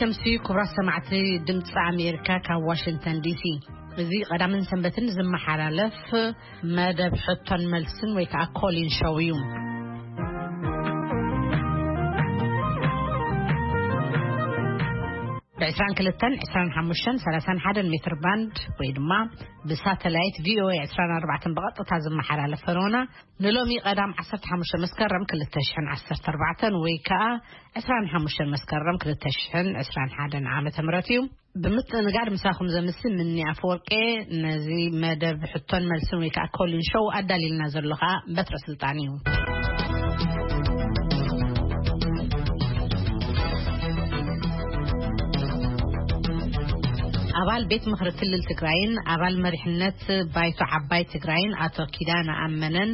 ተምሲ ክቡራት ሰማዕቲ ድምፂ ኣሜሪካ ካብ ዋሽንግተን ዲሲ። እዚ ቀዳምን ሰንበትን ዝመሓላለፍ መደብ ሕቶን መልስን ወይ ከዓ ኮሊን ሾው እዩ። ብ22፣ 25፣ 31 ሜትር ባንድ ወይ ድማ ብሳተላይት ቪኦኤ 24 ብቐጥታ ዝመሓላለፍ ፈነውና ንሎሚ ቀዳም 15 መስከረም 2014 ወይ ከዓ 25 መስከረም 2021 ዓመተ ምህረት እዩ። ብምትእንጋድ ምሳኹም ዘምሲ ምኒ ኣፈወርቄ። ነዚ መደብ ሕቶን መልስን ወይ ከዓ ኮሊን ሾው ኣዳሊልና ዘሎ ከዓ በትረ ስልጣን እዩ። ኣባል ቤት ምኽሪ ክልል ትግራይን ኣባል መሪሕነት ባይቶ ዓባይ ትግራይን ኣቶ ኪዳነ ኣመነን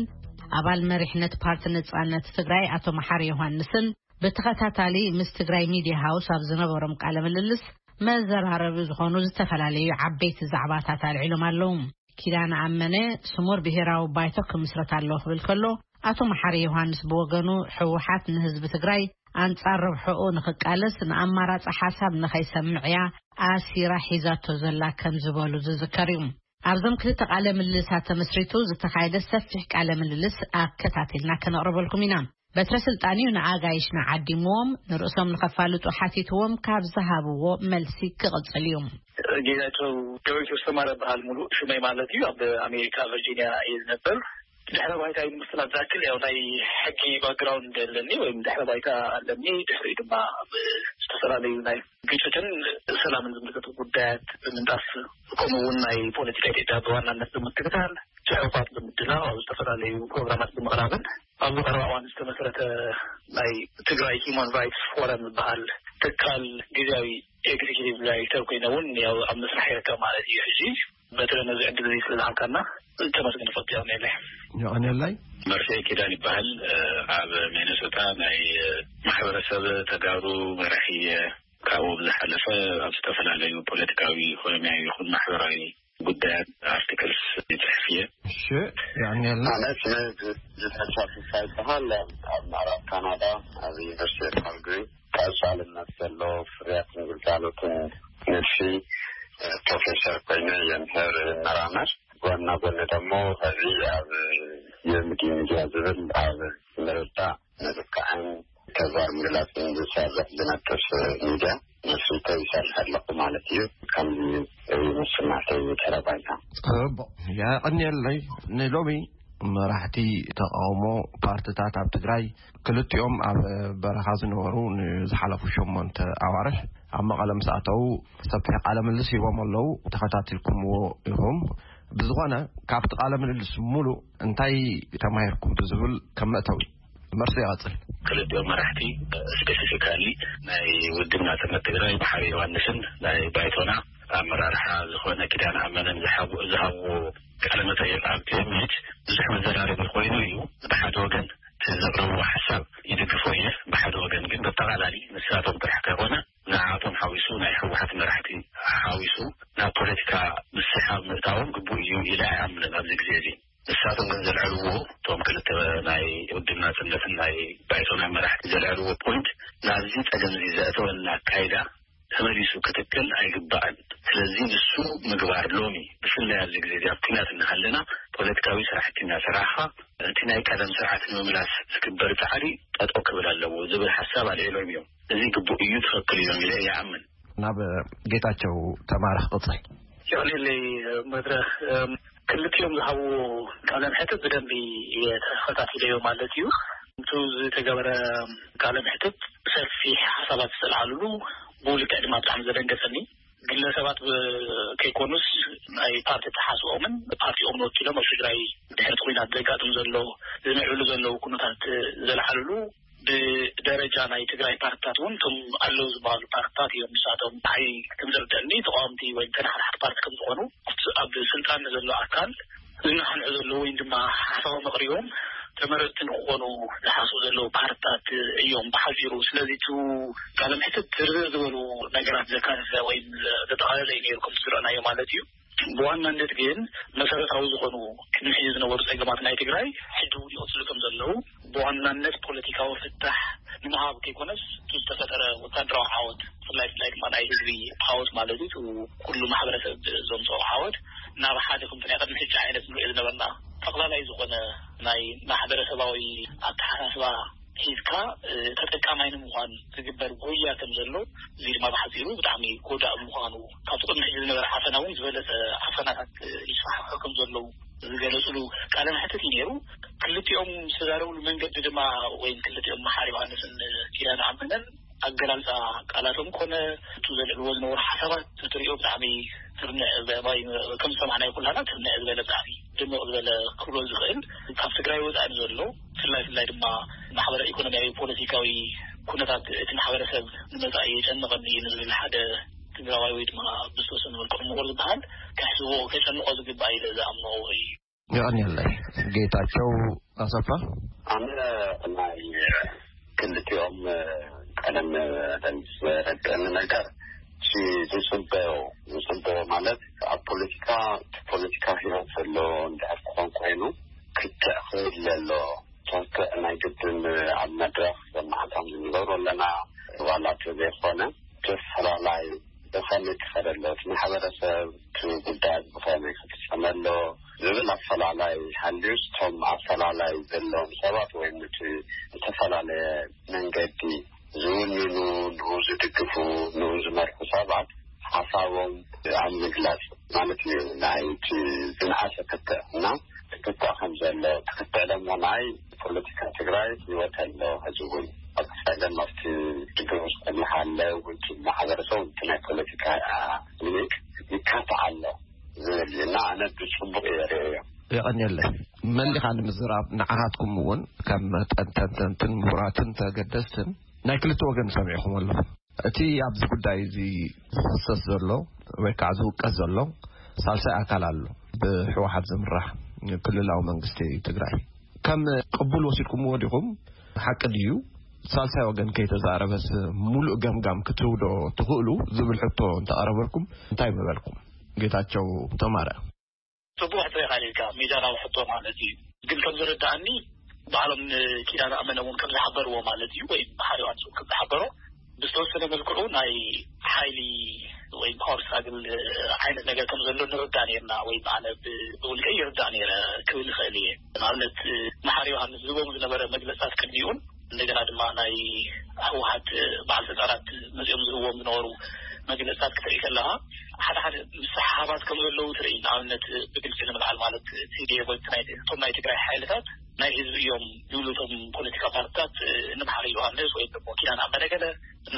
ኣባል መሪሕነት ፓርቲ ነጻነት ትግራይ ኣቶ መሓሪ ዮሃንስን ብተኸታታሊ ምስ ትግራይ ሚድያ ሃውስ ኣብ ዝነበሮም ቃለ ምልልስ መዘራረቢ ዝኾኑ ዝተፈላለዩ ዓበይቲ ዛዕባታት ኣልዒሎም ኣለዉ። ኪዳነ ኣመነ ስሙር ብሄራዊ ባይቶ ክምስረት ኣለዎ ክብል ከሎ፣ ኣቶ መሓሪ ዮሃንስ ብወገኑ ህወሓት ንህዝቢ ትግራይ ኣንጻር ረብሕኡ ንኽቃለስ ንኣማራጺ ሓሳብ ንኸይሰምዕ እያ ኣሲራ ሒዛቶ ዘላ ከም ዝበሉ ዝዝከር እዩ። ኣብዞም ክልተ ቃለ ምልልሳት ተመስሪቱ ዝተኻየደ ሰፊሕ ቃለ ምልልስ ኣከታቲልና ከነቕርበልኩም ኢና። በትረ ስልጣን እዩ ንኣጋይሽና ዓዲምዎም፣ ንርእሶም ንኸፋልጡ ሓቲትዎም ካብ ዝሃብዎ መልሲ ክቕጽል እዩ። ጌታቸው ዳዊት ወስተማረ በሃል ሙሉእ ሽመይ ማለት እዩ። ኣብ ኣሜሪካ ቨርጂኒያ እየ ዝነበር። ድሕረ ባይታ ንምፍላጥ ዝኣክል ያው ናይ ሕጊ ባክግራውንድ ኣለኒ ወይም ድሕረ ባይታ ኣለኒ። ድሕሪኡ ድማ ኣብ ዝተፈላለዩ ናይ ግጭትን ሰላምን ዝምልከቱ ጉዳያት ብምንጣፍ ከምኡ እውን ናይ ፖለቲካ ኢትዮጵያ ብዋናነት ብምክትታል፣ ጽሑፋት ብምድላው፣ ኣብ ዝተፈላለዩ ፕሮግራማት ብምቕራብን ኣብዚ ቀረባ እዋን ዝተመስረተ ናይ ትግራይ ሂውማን ራይትስ ፎረም ዝበሃል ትካል ግዜያዊ ኤግዚኪቲቭ ዳይሬክተር ኮይነ እውን ያው ኣብ ምስራሕ ይርከብ ማለት እዩ። ሕጂ በተለይ ነዚ ዕድል እዚ ስለ ዝሃብካና ተመስገን ፈኪ ያው ነለ። የቐንየለይ። መርሴ ኪዳን ይበሃል። ኣብ ሚኒሶታ ናይ ማሕበረሰብ ተጋሩ መራሒ እየ። ካብኡ ብዝሓለፈ ኣብ ዝተፈላለዩ ፖለቲካዊ፣ ኢኮኖሚያዊ ይኹን ማሕበራዊ ጉዳያት ኣርቲክልስ ይጽሕፍ እየ። እሺ፣ የቐንየልና። ማለት ስመ ጅ-፣ ጅተቻ ፍሳ ይበሃል። ኣብ ምዕራብ ካናዳ ኣብ ዩኒቨርሲቲ ኦፍ ካልግሪ ቀጻልነት ዘለዎ ፍርያትን ግልጋሎትን ንድፊ ፕሮፌሰር ኮይነ የምህር፣ ይመራመር። ጎና ጎኒ ደግሞ እዚ ኣብ የምዲ ሚድያ ዝብል ኣብ ምርዳእ ምልክዕን ተግባር ምግላጽን ዝሰርሕ ዝነጥፍ ሚድያ መስሪተ ይሰርሕ ኣለኹ ማለት እዩ። ከምዚ እዩ ምስማዕተይ ተረባይታ። ጽቡቕ፣ የቐንየለይ። ንሎሚ መራሕቲ ተቃውሞ ፓርትታት ኣብ ትግራይ ክልቲኦም ኣብ በረኻ ዝነበሩ ንዝሓለፉ ሸሞንተ ኣዋርሕ ኣብ መቐለ ምስ ኣተዉ ሰፊሕ ቃለ ምልልስ ሂቦም ኣለዉ። ተኸታቲልኩምዎ ኢኹም። ብዝኾነ ካብቲ ቃለ ምልልስ ሙሉእ እንታይ ተማሂርኩም ብዝብል ከም መእተዊ መርሲ ይቐጽል። ክልቲኦም መራሕቲ ስፔሲፊካሊ ናይ ውድብ ናጽነት ትግራይ መሓሪ ዮሃንስን ናይ ባይቶና ኣመራርሓ ዝኾነ ኪዳነ ኣመነን ዝሃቡ-፣ ዝሃብዎ ቃለ መጠይቕ ኣብ ቲ ኤም ኤች ብዙሕ መዘራረቢ ኮይኑ እዩ። ብሓደ ወገን እቲ ዘቕረብዎ ሓሳብ ይድግፎ እየ፣ ብሓደ ወገን ግን በጠቓላሊ ንሳቶም ጥራሕ ከይኮነ ንዓቶም ሓዊሱ ናይ ህወሓት መራሕቲ ሓዊሱ ናብ ፖለቲካ ምስሓብ ምእታዎም ግቡእ እዩ ኢለ ኣይኣምንን ኣብዚ ግዜ እዚ። ንሳቶም ግን ዘልዐልዎ እቶም ክልተ ናይ ውድብ ናጽነትን ናይ ባይቶና መራሕቲ ዘልዐልዎ ፖይንት ናብዚ ጸገም እዚ ዘእተወና ኣካይዳ ተመሊሱ ክትከል ኣይግባእን። ስለዚ ንሱ ምግባር ሎሚ ብፍላይ ኣብዚ ግዜ እዚ ኣብ ኲናት እናሃለና ፖለቲካዊ ስራሕቲ እናሰራሕኻ እቲ ናይ ቀደም ስርዓት ንምምላስ ዝግበር ጻዕሪ ጠጠው ክብል ኣለዎ ዝብል ሓሳብ ኣልዒሎም እዮም። እዚ ግቡእ እዩ፣ ትኽክል እዮም ኢለ ይኣምን። ናብ ጌታቸው ተማረ ክቕጽል። ይቕንየለይ መድረኽ፣ እም፣ ክልቲኦም ዝሃብዎ ቃለ መሕትት ብደንቢ እየ ተኸታቲለዮ ማለት እዩ። እቱ ዝተገበረ ቃለ መሕትት ሰፊሕ ሓሳባት ዝተልዓልሉ፣ ብልክዕ ድማ ብጣዕሚ ዘደንገጸኒ፣ ግለሰባት ብ-፣ ከይኮኑስ ናይ ፓርቲ ተሓስኦምን ፓርቲኦምን ወኪሎም ኣብ ትግራይ ድሕሪ እቲ ኲናት ዘጋጥም ዘሎ፣ ዝምዕብሉ ዘለዉ ኩነታት ዘልዓልሉ፣ ብደረጃ ናይ ትግራይ ፓርትታት እውን እቶም ኣለዉ ዝበሃሉ ፓርትታት እዮም። ንሳቶም ንዓይ ከም ዝርደአኒ ተቃወምቲ ወይ ተናሓናሕቲ ፓርቲ ከም ዝኾኑ፣ ኣብ ስልጣን ንዘሎ ኣካል ዝነሓንሑ ዘለዉ ወይ ድማ ሓሳቦም ኣቕሪቦም ተመረፅቲ ንክኾኑ ዝሓስቡ ዘለዉ ፓርትታት እዮም ብሓፂሩ። ስለዚ እቲ ቃለ መሕትት ዝርዝር ዝበሉ ነገራት ዘካተተ ወይ ዘጠቓለለ እዩ ነይሩ ከም ዝረኣናዮ ማለት እዩ። ብዋናነት ግን መሰረታዊ ዝኾኑ ቅድሚ ሕጂ ዝነበሩ ጸገማት ናይ ትግራይ ሕጂ እውን ይቕጽሉ ከም ዘለዉ፣ ብዋናነት ፖለቲካዊ ፍታሕ ንምሃብ ከይኮነስ፣ እቲ ዝተፈጠረ ወታደራዊ ዓወት፣ ብፍላይ፣ ብፍላይ ድማ ናይ ህዝቢ ዓወት ማለት እዩ፣ እቲ ኩሉ ማሕበረሰብ ዘምፅኦ ዓወት፣ ናብ ሓደ ከምቲ ናይ ቅድሚ ሕጂ ዓይነት ንሪኦ ዝነበርና ጠቕላላይ ዝኾነ ናይ ማሕበረሰባዊ ኣተሓሳስባ ሒዝካ፣ እ፣ ተጠቃማይ ንምዃን ዝግበር ጉያ ከም ዘሎ፣ እዚ ድማ ብሓፂሩ ብጣዕሚ ጎዳኢ ምዃኑ፣ ካብቲ ቅድሚ ሕጂ ዝነበረ ዓፈና እውን ዝበለፀ ዓፈናታት፣ እ፣ ይስፋሕፍሑ ከም ዘለዉ ዝገለፅሉ ቃለ መሕትት እዩ ነይሩ። ክልቲኦም ዝተዛረብሉ መንገዲ ድማ፣ ወይም ክልቲኦም መሓሪ ዮሃንስን ኪዳነ ኣመነን ኣገላልፃ ቃላቶም ኮነ፣ እቲ ዘልዕልዎ ዝነበሩ ሓሳባት፣ ትሪኦ ብጣዕሚ ትርንዕ፣ ብ-፣ ብ-፣ ከም ዝሰማዕናዮ ኩላና ትርንዕ ዝበለ፣ ብጣዕሚ ድምቕ ዝበለ ክብሎ ዝኽእል፣ ካብ ትግራይ ወፃኢ ዘሎ፣ ብፍላይ፣ ብፍላይ ድማ ማሕበረ ኢኮኖሚያዊ ፖለቲካዊ ኩነታት እቲ ማሕበረሰብ ንመፃኢ የጨንቐኒ እዩ ንዝብል ሓደ ትግራዋይ ወይ ድማ ብዝተወሰነ መልክዑ ምሁር ዝበሃል፣ ከሕስቦ፣ ከጨንቖ ዝግባእ ኢለ ዝኣምኖ እዩ። የቐንየለይ። ጌታቸው ኣሰፋ። ኣነ ናይ ክልቲኦም ቀደም ደንስ ዘረድአኒ ነገር፣ እቲ ዝፅበዮ፣ ዝፅበዮ ማለት ኣብ ፖለቲካ፣ ፖለቲካ ህይወት ዘሎ እንድሕር ክኾን ኮይኑ፣ ክትዕ ክህለ ኣሎ። ትክክዕ፣ ናይ ግድን ኣብ መድረኽ መዓልታም ዝንገብሩ ኣለና። ዋላ እንተዘይኮነ፣ ተፈላላይ ብኸመይ ክኸደ ኣሎ፣ እቲ ማሕበረሰብ፣ እቲ ጉዳያት ብኸመይ ክፍጸመ ኣሎ ዝብል ኣፈላላይ ሃልዩስ፣ እቶም ኣፈላላይ ዘለዎም ሰባት ወይም እቲ ዝተፈላለየ መንገዲ ዝውንኑ፣ ንኡ ዝድግፉ፣ ንኡ ዝመርሑ ሰባት ሓሳቦም ኣብ ምግላጽ ማለት እዩ። ናይ እቲ ዝነኣሰ ክትዕ እና ክትዕ ከም ዘሎ፣ ክትዕ ደሞ ናይ ፖለቲካ ትግራይ ህይወት ኣሎ። ሕዚ እውን ኣብ ጸገም ኣብቲ ድግሩ ዝጸንሓለ እውን እቲ ማሕበረሰብ እቲ ናይ ፖለቲካ ሊግ ይካታዕ ኣሎ ዝብል እዩ እና ኣነ ብጽቡቕ እየ ርእዮ። የቐንየለይ። መሊኻ ንምዝራብ ንዓኻትኩም እውን ከም ተንተንተንትን ምሁራትን ተገደስትን ናይ ክልተ ወገን ሰሚዕኹም ኣለኹም። እቲ ኣብዚ ጉዳይ እዚ ዝኽሰስ ዘሎ ወይ ከዓ ዝውቀስ ዘሎ ሳልሳይ ኣካል ኣሎ፣ ብህወሓት ዝምራሕ ክልላዊ መንግስቲ ትግራይ። ከም ቅቡል ወሲድኩምዎ ዲኹም? ሓቂ ድዩ? ሳልሳይ ወገን ከይተዛረበስ ሙሉእ ገምጋም ክትህቡ ዶ ትኽእሉ ዝብል ሕቶ እንተቐረበልኩም እንታይ ምበልኩም? ጌታቸው ተማረ። ጽቡቕ ሕቶ ኢኻ ኢልካ፣ ሚዛናዊ ሕቶ ማለት እዩ። ግን ከም ዝርድኣኒ፣ ባዕሎም ንኪዳነ ኣመነ እውን ከም ዝሓበርዎ ማለት እዩ፣ ወይ መሓሪ ዮሃንስ እውን ከም ዝሓበሮ፣ ብዝተወሰነ መልክዑ ናይ ሓይሊ ወይ ፓወር ስትራግል ዓይነት ነገር ከም ዘሎ ንርዳእ ነርና፣ ወይ ኣነ ብ-፣ ብውልቀይ ይርዳእ ነይረ ክብል ይኽእል እየ። ንኣብነት፣ መሓሪ ዮሃንስ ዝህቦም ዝነበረ መግለጽታት ቅድሚኡን እንደገና ድማ ናይ ህወሓት በዓል ስልጣናት መጺኦም ዝህብዎም ዝነበሩ መግለጽታት ክትርኢ ከለኻ፣ ሓደ ሓደ ምስሕሓባት ከም ዘለዉ ትርኢ። ንኣብነት ብግልጺ ንምልዓል ማለት፣ ቲ ዲ ኤፍ ወይ ናይ፣ እቶም ናይ ትግራይ ሓይልታት ናይ ህዝቢ እዮም ይብሉ እቶም ፖለቲካ ፓርትታት፣ ንመሓሪ ዮሃንስ ወይ ደግሞ ኪዳነ ኣመነ ገለ፣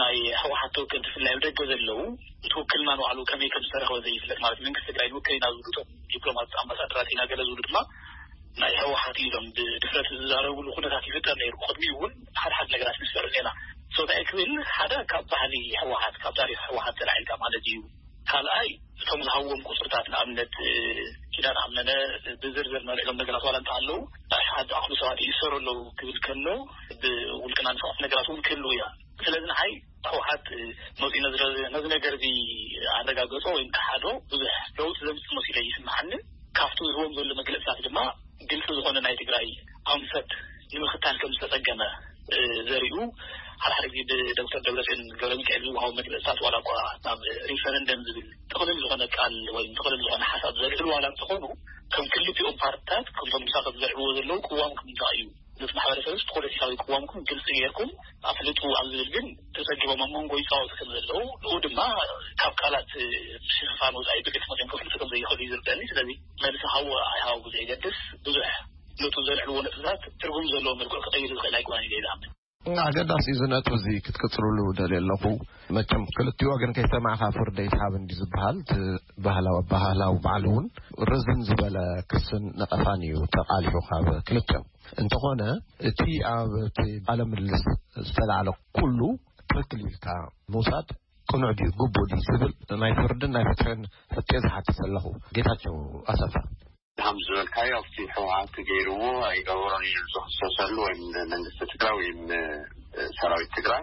ናይ ህወሓት ተወከልቲ ብፍላይ ኣብ ደገ ዘለዉ፣ እቲ ውክልና ንባዕሉ ከመይ ከም ዝተረኽበ ዘይፍለጥ ማለት መንግስቲ ትግራይ ንውክል ኢና ዝብሉ እቶም ዲፕሎማት ኣምባሳደራት ኢና ገለ ዝብሉ ድማ ናይ ህወሓት ኢሎም ብድፍረት ዝዛረብሉ ኩነታት ይፍጠር ነይሩ። ቅድሚኡ እውን ሓደ ሓደ ነገራት ንስምዕ ዜና ሶታይ ክብል ሓደ ካብ ባህሊ ህወሓት፣ ካብ ታሪኽ ህወሓት ተላዒልካ ማለት እዩ። ካልኣይ እቶም ዝሃብዎም ቁፅርታት ንኣብነት ኪዳነ ኣመነ ብዝርዝር ነልዕሎም ነገራት ዋላ እንተሃለዉ ኣሽሓት ዝኣኽሉ ሰባት ይእሰሩ ኣለዉ ክብል ከሎ ብውልቅና ንሰባት ነገራት እውን ክህልዉ እያ። ስለዚ ንዓይ ህወሓት መፂኡ ነዚ፣ ነዚ ነገር እዚ ኣረጋገፆ ወይም ከሓዶ ብዙሕ ለውጢ ዘምፅእ መሲሉ ይስምዓኒ። ካብቲ ዝህቦም ዘሎ መግለፅታት ድማ ግልፂ ዝኾነ ናይ ትግራይ ኣንፈት ንምኽታል ከም ዝተፀገመ፣ እ፣ ዘሪኡ ሓደ ሓደ ግዜ ብዶክተር ደብረፅዮን ገብረ ሚካኤል ዝወሃቡ መግለፅታት ዋላ እኳ ናብ ሪፈረንደም ዝብል ጥቕልል ዝኾነ ቃል ወይ ጥቕልል ዝኾነ ሓሳብ ዘልዕሉ ዋላ እንተኾኑ ከም ክልቲኦም ፓርትታት ከምቶም ምሳቶም ዘልዕልዎ ዘለዉ ቅዋምኩም እንታይ እዩ? ነቲ ማሕበረሰብስ ፖለቲካዊ ቅዋምኩም ግልፂ ጌርኩም ኣፍልጡ ኣብ ዝብል ግን ተፀጊቦም ኣብ መንጎ ይፃወቱ ከም ዘለዉ፣ ንኡ ድማ ካብ ቃላት ምሽፍፋን ወፃኢ ብግልፂ መፅዮም ከፍልጡ ከም ዘይኽእሉ እዩ ዝርደኒ። ስለዚ መልሲ ሃቡ ኣይሃቡ ብዘየገድስ ብዙሕ ነቱ ዘልዕልዎ ነጥብታት ትርጉም ዘለዎ መልክዑ ክቐይር ዝኽእል ኣይኮነን ኢለ ይዝኣምን። ኣገዳሲ እዩ እዚ ነጥቢ እዚ ክትቅፅልሉ ደልየ ኣለኹ። መቸም ክልቲኡ ወገን ከይሰማዕካ ፍርዲ ኣይትሃብ እንዲ ዝበሃል እቲ ባህላዊ ኣበሃህላዊ ባዕሉ እውን ርዝን ዝበለ ክስን ነቐፋን እዩ ተቓሊሑ ካብ ክልቲኦም። እንተኾነ እቲ ኣብ እቲ ቃለ ምልልስ ዝተላዕለ ኩሉ ትኽክል ኢልካ ምውሳድ ቅኑዕ ድዩ ግቡእ ድዩ ዝብል ናይ ፍርድን ናይ ፍትሕን ሕቶ ዝሓትት ዘለኹ። ጌታቸው ኣሰፋ። ከም ዝበልካዮ ኣብቲ ህወሓት ገይርዎ ኣይገበሮን ኢሉ ዝኽሰሰሉ ወይም መንግስቲ ትግራይ ወይም ሰራዊት ትግራይ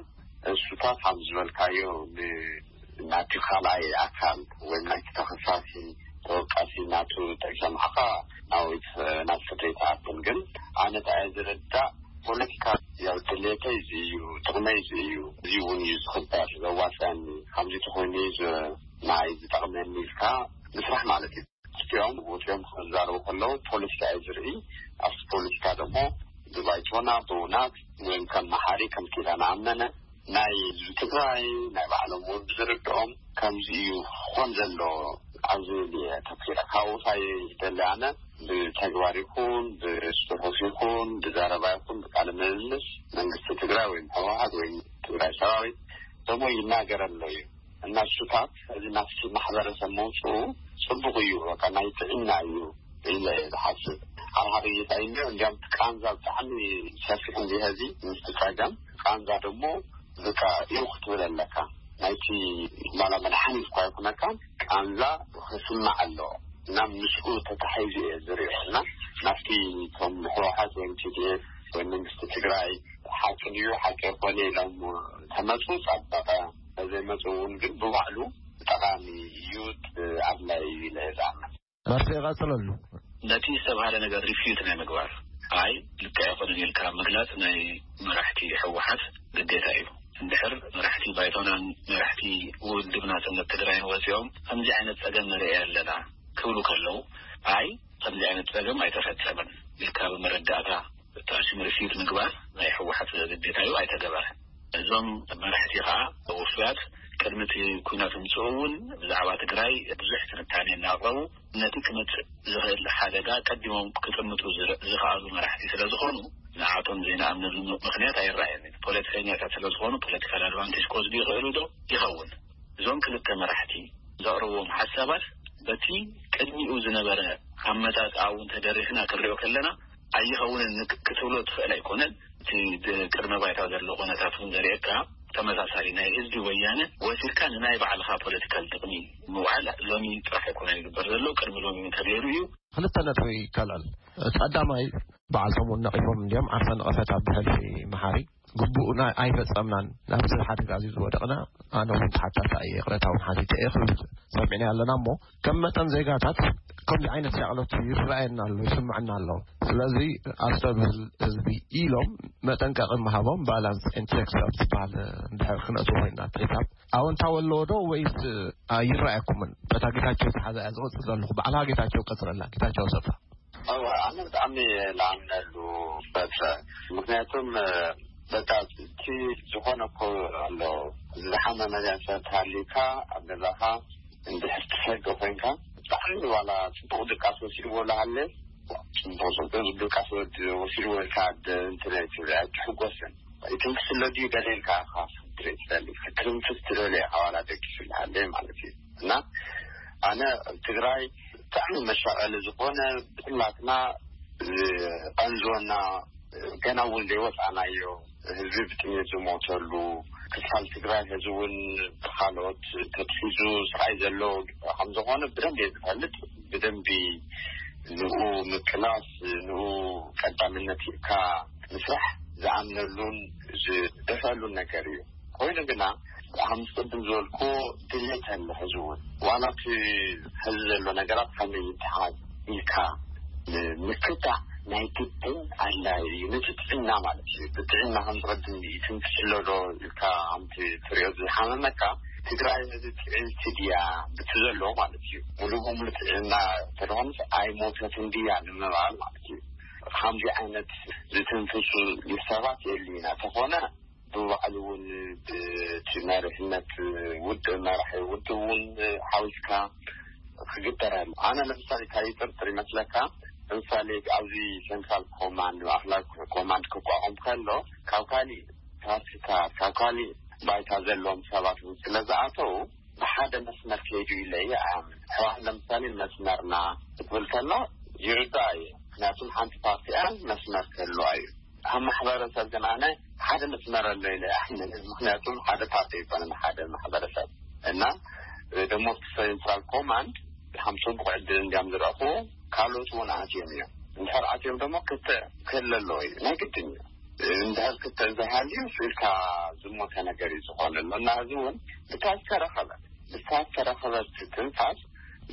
እሱታት ከም ዝበልካዮ ን-፣ ናቲ ካልኣይ ኣካል ወይም ናይቲ ተኸሳሲ ተወቃሲ ናቱ ጠቂሶም ሓኻ ናዊት ናብ ፍርዲ ይትኣትን። ግን ኣነ እንታይ እየ ዝርዳእ ፖለቲካ ያው ድሌተይ እዚ እዩ፣ ጥቕመይ እዚ እዩ፣ እዚ እውን እዩ ዝኽበር ዘዋፅአኒ፣ ከምዚ ተኾይኑ እዩ ዝ- ናይ ዝጠቕመኒ ኢልካ ምስራሕ ማለት እዩ። እቲኦም ወፂኦም ክዛረቡ ከለዉ ፖለቲካ እዩ ዝርኢ። ኣብቲ ፖለቲካ ደግሞ ብባይቶና ብውናት ወይም ከም መሓሪ ከም ኪዳነ ኣመነ ናይ ህዝቢ ትግራይ ናይ ባዕሎም እውን ብዝርድኦም ከምዚ እዩ ክኾን ዘሎ ኣብዚ ተኪረ ካብኡታይ ደሊ ኣነ ብተግባር ይኹን ብፅሑፍ ይኹን ብዘረባ ይኹን ብቃለ ምልልስ መንግስቲ ትግራይ ወይም ህወሓት ወይም ትግራይ ሰራዊት ደሞ ይናገር ኣሎ እዩ። እና እሱታት እዚ ናብቲ ማሕበረሰብ መውፅኡ ፅቡቅ እዩ። በቃ ናይ ጥዕና እዩ ኢለ እየ ዝሓስብ። ኣብ ሓደ ጌታ እዩ እንዲያም ቃንዛ ብጣዕሚ ሰፊሕ እንዲህ እዚ ምስቲ ፀገም ቃንዛ ደግሞ በቃ ይው ክትብል ኣለካ። ናይቲ ማላ መድሓኒት እኳ ይኩነካ ቃንዛ ክስማዕ ኣለዎ። እና ምስኡ ተታሒዙ እየ ዝሪኦ። እና ናብቲ ከም ህወሓት ወይም ቲዲኤፍ ወይም መንግስቲ ትግራይ ሓቂ ድዩ ሓቂ ኣይኮነ ኢሎም ተመፁ ጸበቐ፣ ተዘይመፁ እውን ግን ብባዕሉ ጠቓሚ እዩ፣ ኣድላይ እዩ ኢለ እየ ዝኣምን። መርሲ ይቐፅለሉ። ነቲ ዝተባህለ ነገር ሪፊዩት ናይ ምግባር ኣይ ልክዕ ኣይኮነን ኢልካ ምግላፅ ናይ መራሕቲ ህወሓት ግዴታ እዩ። እንድሕር መራሕቲ ባይቶናን መራሕቲ ውድብ ናፅነት ትግራይን ወፂኦም ከምዚ ዓይነት ፀገም ንርኢ ኣለና ክብሉ ከለዉ ኣይ ከምዚ ዓይነት ፀገም ኣይተፈፀመን ኢልካ ብመረዳእታ እቲ ኣሽም ርፊት ምግባር ናይ ህወሓት ግዴታ እዩ ኣይተገበረ። እዞም መራሕቲ ከዓ ውፉያት ቅድሚ እቲ ኩናት ምፅኡ እውን ብዛዕባ ትግራይ ብዙሕ ትንታኔ እናቕረቡ ነቲ ክመፅእ ዝኽእል ሓደጋ ቀዲሞም ክጥምጡ ዝኽኣሉ መራሕቲ ስለ ዝኾኑ ንዓቶም ዘይንኣምነሉ ምክንያት ኣይረኣየን። ፖለቲከኛታት ስለ ዝኾኑ ፖለቲካል ኣድቫንቴጅ ክወስዱ ይኽእሉ ዶ ይኸውን? እዞም ክልተ መራሕቲ ዘቕርብዎም ሓሳባት በቲ ቅድሚኡ ዝነበረ ኣመጣጣ እውን ተደሪኽና ክንሪኦ ከለና ኣይኸውንን ክትብሎ ትኽእል ኣይኮነን። እቲ ቅድመ ባይታ ዘሎ ኮነታት እውን ዘርእየካ ተመሳሳሊ ናይ ህዝቢ ወያነ ወሲድካ ንናይ ባዕልኻ ፖለቲካል ጥቕሚ ምውዓል ሎሚ ጥራሕ ኣይኮነን ይግበር ዘሎ ቅድሚ ሎሚ ተገይሩ እዩ። ክልተ ነጥቢ ይከልዕል። እቲ ቀዳማይ በዓል ሰሙን ነቒፎም እንዲዮም ዓርሰ ንቐፈት ኣብ ብሕልፊ መሓሪ ግቡእና ኣይፈጸምናን ናብዚ ሓደጋ እዚ ዝወደቕና። ኣነ እውን ተሓታታ እየ ይቕረታ እውን ሓቲተ እየ ክብል ሰሚዕና ኣለና እሞ ከም መጠን ዜጋታት ከምዚ ዓይነት ሻቕሎት ይረኣየና ኣሎ ይስምዕና ኣሎ። ስለዚ ኣስተብህል ህዝቢ ኢሎም መጠንቀቒ ምሃቦም ባላንስ ኢንትሬክስ ኣብ ዝበሃል እንድሕር ክነእትዎ ኮይና ትሒሳብ ኣወንታዊ ኣለዎ ዶ ወይስ ኣይረኣየኩምን? በታ ጌታቸው ዝሓዛ እያ ዝቐፅል ዘለኹ ባዕልኻ ጌታቸው ቀፅለላ ጌታቸው ሰፋ። ኣነ ብጣዕሚ ላኣምነሉ በትረ ምክንያቱም በቃ እቲ ዝኾነ እኮ ኣሎ ዝሓመመ ሰብ ተሃሊካ ኣብ ገዛኻ እንድሕር ትሰገ ኮይንካ ብጣዕሚ ዋላ ፅቡቅ ድቃስ ወሲድዎ ላሃለ ፅቡቅ ፅቡቅ ድቃስ ወሲድዎ ኢልካ እንትን ትብል ኣይትሕጎስን። ትንክስ ኣሎ ድዩ ገለ ኢልካ ኢኻ ክትርኢ ትደሊ ክትንክስ ትደሊ ኢኻ ዋላ ደቂሱ ይሃለ ማለት እዩ። እና ኣነ ኣብ ትግራይ ብጣዕሚ መሻቐሊ ዝኾነ ብኩላትና ዝቐንዝወና ገና እውን ዘይወፃእናዮ ህዝቢ ብጥሜት ዝሞተሉ ክፋል ትግራይ ሕዚ እውን ብካልኦት ተትሒዙ ስቃይ ዘሎ ከም ዝኾነ ብደንብ እየ ዝፈልጥ። ብደንቢ ንኡ ምቅላስ ንኡ ቀዳምነት ሂብካ ምስራሕ ዝኣምነሉን ዝደፈሉን ነገር እዩ። ኮይኑ ግና ከም ዝቅድም ዝበልኩ ድሌት ኣሎ ሕዚ እውን ዋላ እቲ ሕዚ ዘሎ ነገራት ከመይ ይተሓዝ ኢልካ ምክታዕ ናይ ግድን ኣድላይ እዩ። ነቲ ጥዕና ማለት እዩ። ብጥዕና ከም ዝቅድም ይትንክስ ኣሎ ዶ ኢልካ ከምቲ ትሪኦ ዝሓመመካ ትግራይ ሕዚ ጥዕልቲ ድያ ብቲ ዘሎ ማለት እዩ። ሙሉ በሙሉ ጥዕና ተደኾንስ ኣይሞተትን ድያ ንምባል ማለት እዩ። ከምዚ ዓይነት ዝትንፍሱ ሰባት የሉ ኢና ተኾነ ብባዕሉ እውን ብቲ መሪሕነት ውድብ መራሒ ውድብ እውን ሓዊስካ ክግበር ኣሎ። ኣነ ለምሳሌ እንታይ ይጥርጥር ይመስለካ? ለምሳሌ ኣብዚ ሴንትራል ኮማንድ ማእክላዊ ኮማንድ ክቋቋም ከሎ ካብ ካሊእ ፓርቲታት ካብ ካሊእ ባይታ ዘለዎም ሰባት እውን ስለ ዝኣተው ብሓደ መስመር ከይዱ ኢለ እየ ኣምን። ሕዋት ለምሳሌ መስመርና ክትብል ከላ ይርዳእ እዩ። ምክንያቱም ሓንቲ ፓርቲ እያ መስመር ክህልዋ እዩ። ኣብ ማሕበረሰብ ግን ኣነ ሓደ መስመር ኣሎ ኢለ ኣምን። ምክንያቱም ሓደ ፓርቲ ኣይኮነን ሓደ ማሕበረሰብ እና ደሞ ሴንትራል ኮማንድ ከም ፅቡቅ ዕድል እንዲያም ዝረእኹ ካልኦት እውን ኣትዮም እዮም። እንድሕር ኣትዮም ደሞ ክተ ክህለ ኣለዎ እዩ ናይ ግድን እዩ። እንድሕር ክተ እንተሃልዩ ስኢልካ ዝሞተ ነገር እዩ ዝኾነ ኣሎ እና እዚ እውን ብታ ዝተረኸበ ብታ ዝተረኸበት ትንፋስ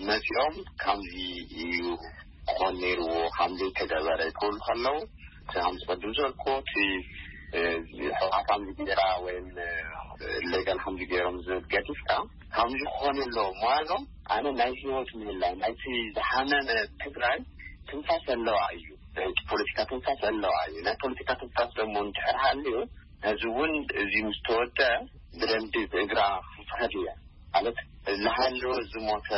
መፂኦም ከምዚ እዩ ክኾን ነይርዎ ከምዚ ተገበረ ክብሉ ከለዉ ከም ዝቀድም ዝበልኩዎ፣ እቲ ሕውሓት ከምዚ ገይራ ወይም ሌጋል ከምዚ ገይሮም ዝብል ገዲፍካ፣ ከምዚ ክኾን ኣለዎ ምባሎም፣ ኣነ ናይ ህይወት ምህላው ናይቲ ዝሓመመ ትግራይ ትንፋስ ኣለዋ እዩ። ናይቲ ፖለቲካ ትንፋስ ኣለዋ እዩ። ናይ ፖለቲካ ትንፋስ ደሞ እንድሕር ሃልዩ፣ እዚ እውን እዚ ምስ ተወደ ብደንቢ ብእግራ ክትኸድ እያ። ማለት ዝሃለወ ዝሞተ፣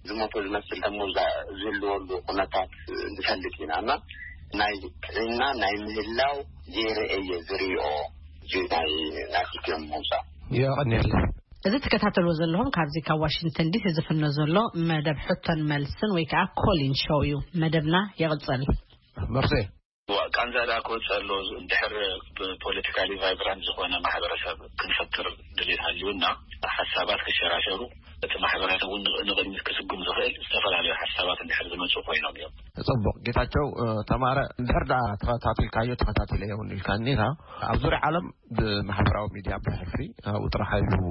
ዝሞተ ዝመስል ደሞ ዝህልወሉ ኩነታት ንፈልጥ ኢና። እና ናይ ጥዕና ናይ ምህላው ገይረ እየ ዝሪኦ። እዚ ናይ ናይ ክልቲኦም ምውፃእ። የቐንየለ። እዚ ትከታተልዎ ዘለኹም ካብዚ ካብ ዋሽንግተን ዲሲ ዝፍኖ ዘሎ መደብ ሕቶን መልስን ወይ ከዓ ኮሊን ሾው እዩ። መደብና ይቕፅል። መርሴ። ቃንዛ ደኣ ክወፅእ ኣሎ። እንድሕር ብፖለቲካሊ ቫይብራንት ዝኾነ ማሕበረሰብ ክንፈጥር ድሌት ሃልዩና፣ ሓሳባት ክሸራሸሩ፣ እቲ ማሕበረሰብ እውን ንቕድሚት ክስጉም ዝኽእል ዝተፈላለዩ ሓሳባት እንድሕር ዝመፁ ኮይኖም እዮም። ፅቡቕ። ጌታቸው ተማረ፣ እንድሕር ደኣ ተኸታቲልካዮ፣ ተኸታቲለዮ እውን ኢልካ እኒኻ፣ ኣብ ዙርያ ዓለም ብማሕበራዊ ሚድያ ብሕፍሪ ኣብኡ ጥራሕ ኢሉ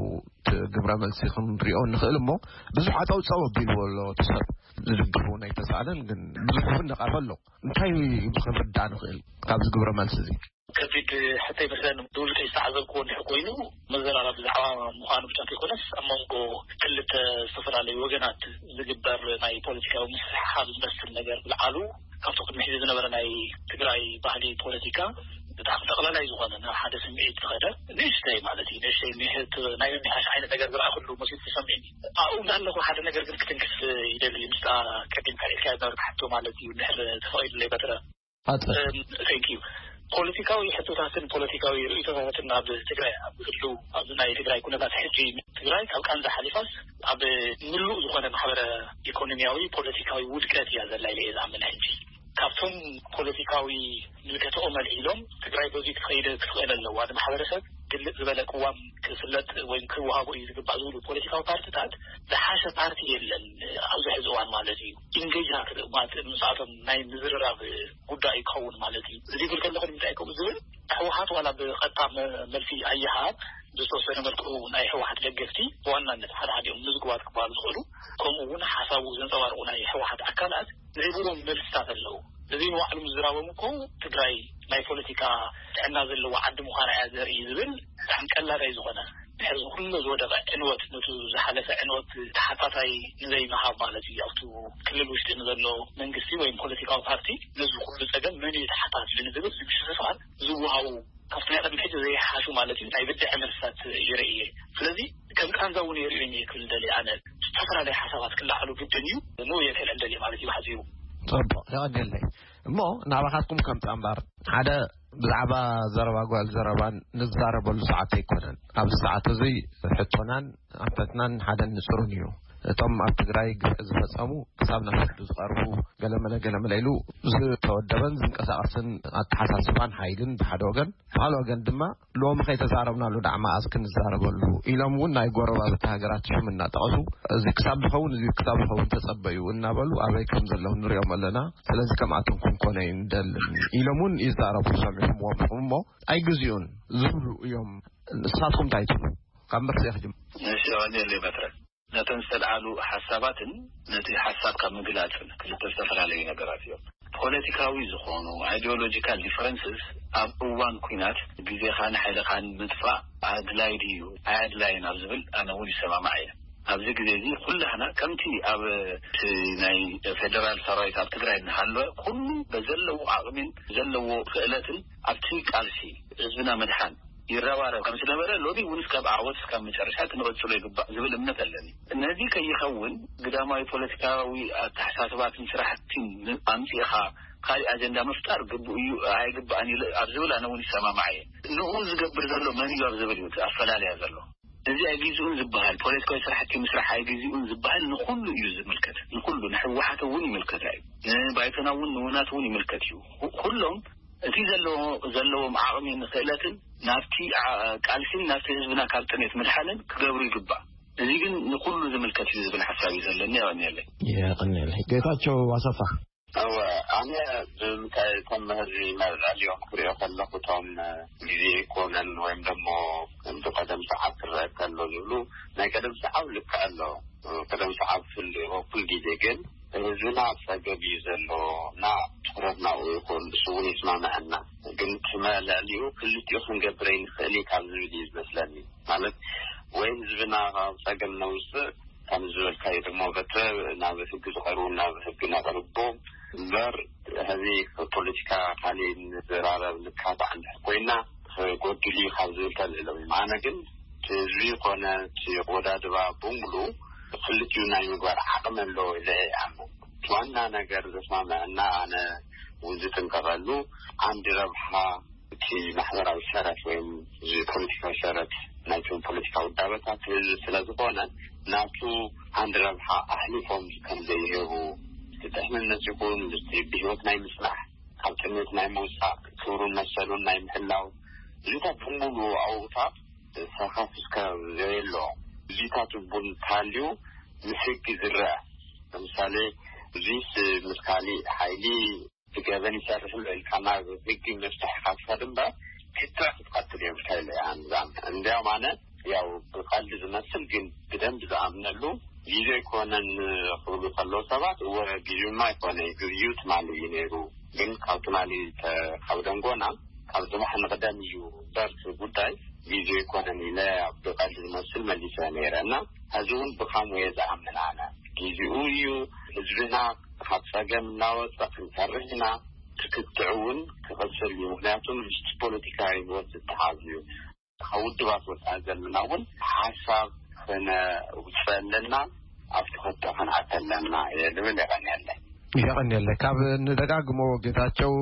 ግብረ መልሲ ክንሪኦ ንኽእል እሞ፣ ብዙሕ ኣፀውፀው ኣቢልዎ ኣሎ። እቲ ሰብ ዝድግፉ ናይ ተሳእለን ግን ብዙሕ እውን ነቐፈ ኣሎ። እንታይ ክንርዳእ ንኽእል ካብዚ ግብረ መልሲ እዚ? ከቢድ ሕቶ ይመስለኒ። ብውልቀይ ዝተዓዘብክዎ እንድሕር ኮይኑ፣ መዘራረቢ ብዛዕባ ምዃኑ ብቻ ከይኮነስ፣ ኣብ መንጎ ክልተ ዝተፈላለዩ ወገናት ዝግበር ናይ ፖለቲካዊ ምስሕሓብ ዝመስል ነገር ብልዓሉ ካብቲ ቅድሚ ሕዚ ዝነበረ ናይ ትግራይ ባህሊ ፖለቲካ ብጣዕሚ ጠቕላላይ ዝኾነ ናብ ሓደ ስምዒት ዝኸደ ንእሽተይ ማለት እዩ። ንእሽተይ ምሕት ናይ ምምሕያሽ ዓይነት ነገር ዝረኣኹሉ መሲሉ ተሰሚዕኒ። ኣብኡ እንዳለኹ ሓደ ነገር ግን ክትንክፍ ይደሊ። ምስታ ቀዲምካ ኢልካ ዝነበርካ ሕቶ ማለት እዩ። እንድሕር ተፈቒዱለይ በትረ። ኣጸ- ቴንክ ዩ። ፖለቲካዊ ሕቶታትን ፖለቲካዊ ርእይቶታትን ኣብ ትግራይ ኣብ ዝህሉ ኣብዚ ናይ ትግራይ ኩነታት ሕጂ ትግራይ ካብ ቃንዛ ሓሊፋስ ኣብ ምሉእ ዝኾነ ማሕበረ ኢኮኖሚያዊ ፖለቲካዊ ውድቀት እያ ዘላ ኢለ እየ ዝኣምን። ሕጂ ካብቶም ፖለቲካዊ ምልከትኦም ኣልዒሎም ትግራይ በዚ ክትኸይደ ክትኽእል ኣለዋ፣ ንማሕበረሰብ ግልጽ ዝበለ ቅዋም ክፍለጥ ወይም ክወሃቦ እዩ ዝግባእ ዝብሉ ፖለቲካዊ ፓርቲታት ዝሓሸ ፓርቲ የለን ኣብዚ ሕዚ እዋን ማለት እዩ። ኢንጌጅ ማለት ምስኣቶም ናይ ምዝርራብ ጉዳይ ክኸውን ማለት እዩ። እዚ ይብል ከለኹ ንምንታይ ከምኡ ዝብል ህወሓት ዋላ ብቐጥታ መ- መልሲ ኣይሃብ ብዝተወሰነ መልክዑ ናይ ህወሓት ደገፍቲ ብዋናነት ሓደ ሓዲኦም ምዝጉባት ክበሃሉ ዝኽእሉ ከምኡ እውን ሓሳቡ ዘንፀባርቑ ናይ ህወሓት ኣካላት ዝህብዎም መልስታት ኣለዉ። እዚ ንባዕሉ ምዝራቦም እኮ ትግራይ ናይ ፖለቲካ ጥዕና ዘለዎ ዓዲ ምዃና እያ ዘርኢ ዝብል ብጣዕሚ ቀላዳይ ዝኾነ ድሕሪ ኩሉ ዝወደቐ ዕንወት ነቱ ዝሓለፈ ዕንወት ተሓታታይ ንዘይምሃብ ማለት እዩ። ኣብቱ ክልል ውሽጢ ንዘሎ መንግስቲ ወይም ፖለቲካዊ ፓርቲ ነዚ ኩሉ ፀገም መን እዩ ተሓታቲ ንዝብል ዝምሽፍፋል ዝወሃቡ ካብቲ ናይ ቅድሚ ሕጂ ዘይሓሹ ማለት እዩ ናይ ብድዐ መልስታት ይርኢ እየ። ስለዚ ከም ቃንዛ እውን የርእዮ እየ ክብል ደልየ ኣነ። ዝተፈላለዩ ሓሳባት ክለዓሉ ግድን እዩ። ንኡ እየ ከልዕል ደልየ ማለት እዩ ብሓፂሩ። ፅቡቕ፣ የቐንየለይ። እሞ ናባኻትኩም ከም ፃምባር ሓደ ብዛዕባ ዘረባ ጓል ዘረባን ንዛረበሉ ሰዓት ኣይኮነን። ኣብዚ ሰዓት እዚ ሕቶናን ኣንፈትናን ሓደን ንፅሩን እዩ። እቶም ኣብ ትግራይ ግፍዒ ዝፈፀሙ ክሳብ ናብ ፍርዲ ዝቐርቡ ገለመለ ገለመለ ኢሉ ዝተወደበን ዝንቀሳቐስን ኣተሓሳስባን ሓይልን ብሓደ ወገን፣ ብኻልእ ወገን ድማ ሎሚ ከይተዛረብናሉ ደኣ መኣዝ ክንዛረበሉ ኢሎም እውን ናይ ጎረባብቲ ሃገራት ሽም እናጠቐሱ እዚ ክሳብ ዝኸውን እዚ ክሳብ ዝኸውን ተጸበዩ እናበሉ ኣበይ ከም ዘለዉ ንሪኦም ኣለና። ስለዚ ከምኣቶም ክንኮነ እዩ ንደልን ኢሎም እውን ይዛረቡ ሰሚዕኹምዎም ኢኹም እሞ ኣይግዜኡን ዝብሉ እዮም። ንስኻትኩም እንታይ ትብሉ? ካብ መርሴ ክጅምር። እሺ፣ ቀንየለይ በትረ። ነተን ዝተልዓሉ ሓሳባትን ነቲ ሓሳብ ካብ ምግላጽን ክልተ ዝተፈላለዩ ነገራት እዮም። ፖለቲካዊ ዝኾኑ ኣይዲዮሎጂካል ዲፈረንስስ ኣብ እዋን ኲናት ግዜኻን ሓይልኻን ምጥፋእ ኣድላይ ድዩ ኣየድላይን ኣብ ዝብል ኣነ እውን ይሰማማዕ እየ። ኣብዚ ግዜ እዚ ኩላህና ከምቲ ኣብ እቲ ናይ ፌደራል ሰራዊት ኣብ ትግራይ እናሃለወ ኩሉ በዘለዎ ዓቕሚን ዘለዎ ክእለትን ኣብቲ ቃልሲ ህዝብና ምድሓን ይረባረብ ከም ዝነበረ ሎሚ እውን እስካብ ዓወት እስካብ መጨረሻ ክንቐፅሎ ይግባእ ዝብል እምነት ኣለኒ። ነዚ ከይኸውን ግዳማዊ ፖለቲካዊ ኣተሓሳስባትን ስራሕቲን ኣምፂእኻ ካሊእ ኣጀንዳ ምፍጣር ግቡእ እዩ ኣይግባእን ኢለ ኣብ ዝብል ኣነ እውን ይሰማማዕ እየ። ንኡ ዝገብር ዘሎ መን እዩ ኣብ ዝብል እዩ እቲ ኣፈላልያ ዘሎ። እዚ ኣይግዝኡን ዝበሃል ፖለቲካዊ ስራሕቲ ምስራሕ ኣይግዝኡን ዝበሃል ንኩሉ እዩ ዝምልከት። ንኩሉ ንሕወሓት እውን ይምልከታ እዩ። ንባይቶና እውን ንውናት እውን ይምልከት እዩ። ኩሎም እቲ ዘለዎ ዘለዎም ዓቕሚን ክእለትን ናብቲ ቃልሲን ናብቲ ህዝብና ካብ ጥሜት ምድሓንን ክገብሩ ይግባእ። እዚ ግን ንኩሉ ዝምልከት እዩ ዝብል ሓሳብ እዩ ዘለኒ። የቐንየለይ። የቐንየለይ። ጌታቸው ኣሰፋ። እወ፣ ኣነ ብምንታይ እቶም ህዝቢ መርዕልዮም ክሪኦ ከለኹ እቶም ግዜ ይኮነን ወይም ደሞ ብቀደም ሰዓብ ክረአ ከሎ ዝብሉ ናይ ቀደም ሰዓብ ልክዕ ኣሎ። ቀደም ሰዓብ ፍል ኩል ግዜ ግን ህዝብና ኣብ ጸገብ እዩ ዘሎ እና ትኹረትና ኣብኡ ይኹን፣ እሱ እውን ይስማምዐና። ግን እቲ መ-፣ ልዕሊኡ ክልቲኡ ክንገብር ኣይንኽእል እዩ ካብ ዝብል እዩ ዝመስለኒ። ማለት ወይ ህዝብና ካብ ጸገም ነውፅእ፣ ከም ዝበልካዮ ድማ በተ ናብ ህጊ ዝቐርቡ ናብ ህጊ ነቕርቦም እምበር፣ ሕዚ ፖለቲካ ካልእ ንዘራረብ ንካታዕ እንድሕር ኮይና ክጎድል እዩ ካብ ዝብል ተልዕሎም እዮም። ኣነ ግን እቲ ህዝቢ ኮነ እቲ ወዳድባ ብምሉ ክልቲኡ ናይ ምግባር ዓቕሚ ኣለዎ ኢለ እየ ኣምን። እቲ ዋና ነገር ዘስማምዐና ኣነ እውን ዝጥንቀቐሉ ዓንዲ ረብሓ እቲ ማሕበራዊ ሰረት ወይም እዚ ፖለቲካዊ ሰረት ናይቶም ፖለቲካዊ ውዳበታት ህዝቢ ስለ ዝኾነ ናቱ ዓንዲ ረብሓ ኣሕሊፎም ከም ዘይህቡ፣ እቲ ድሕንነት ይኹን እቲ ብህይወት ናይ ምጽናሕ፣ ካብ ጥሜት ናይ ምውጻእ፣ ክብሩን መሰሉን ናይ ምሕላው እዚታት ብምሉ ኣብኡታት ሰኻፍ እስከ ዘየሎ እዚታት እውን እንተሃልዩ ምስ ህጊ ዝረአ። ለምሳሌ እዚስ ምስ ካሊእ ሓይሊ ብገበን ይሰርሕ ኣሎ ኢልካ ናብ ህጊ መፍትሒ ኢኻ ትኸድ እምበር ክትዕ ክትቐትል እዮም እንታይ ኢለ ኣንዛም እንዲያውም ኣነ ያው ብቐልዲ ዝመስል ግን ብደንብ ዝኣምነሉ ግዜ ኣይኮነን ክብሉ ከለዉ ሰባት እወ ግዜማ ኣይኮነ ግዜኡ ትማሊ እዩ ነይሩ። ግን ካብ ትማሊ ተ-፣ ካብ ደንጎና ካብ ጽባሕ ንቕደም እዩ እምበር እቲ ጉዳይ ግዜኡ ኣይኮነን ኢለ ብቐልዲ ዝመስል መሊሰ ነይረ እና ሕዚ እውን ብኻምኡ እየ ዝኣምን ኣነ። ግዜኡ እዩ። ህዝብና ካብ ጸገም እናወጸ ክንሰርሕ ኢና። ትክትዕ እውን ክቕጽል እዩ። ምክንያቱ ምስ ፖለቲካዊ ህይወት ዝተሓዝ እዩ። ካብ ውድባት ወፃኢ ዘለና እውን ሓሳብ ክነውፅእ ኣለና፣ ኣብ ትክክል ክንኣተ ኣለና እየ ልብል። የቐንየለይ። የቐንየለይ። ካብ ንደጋግሞ ጌታቸው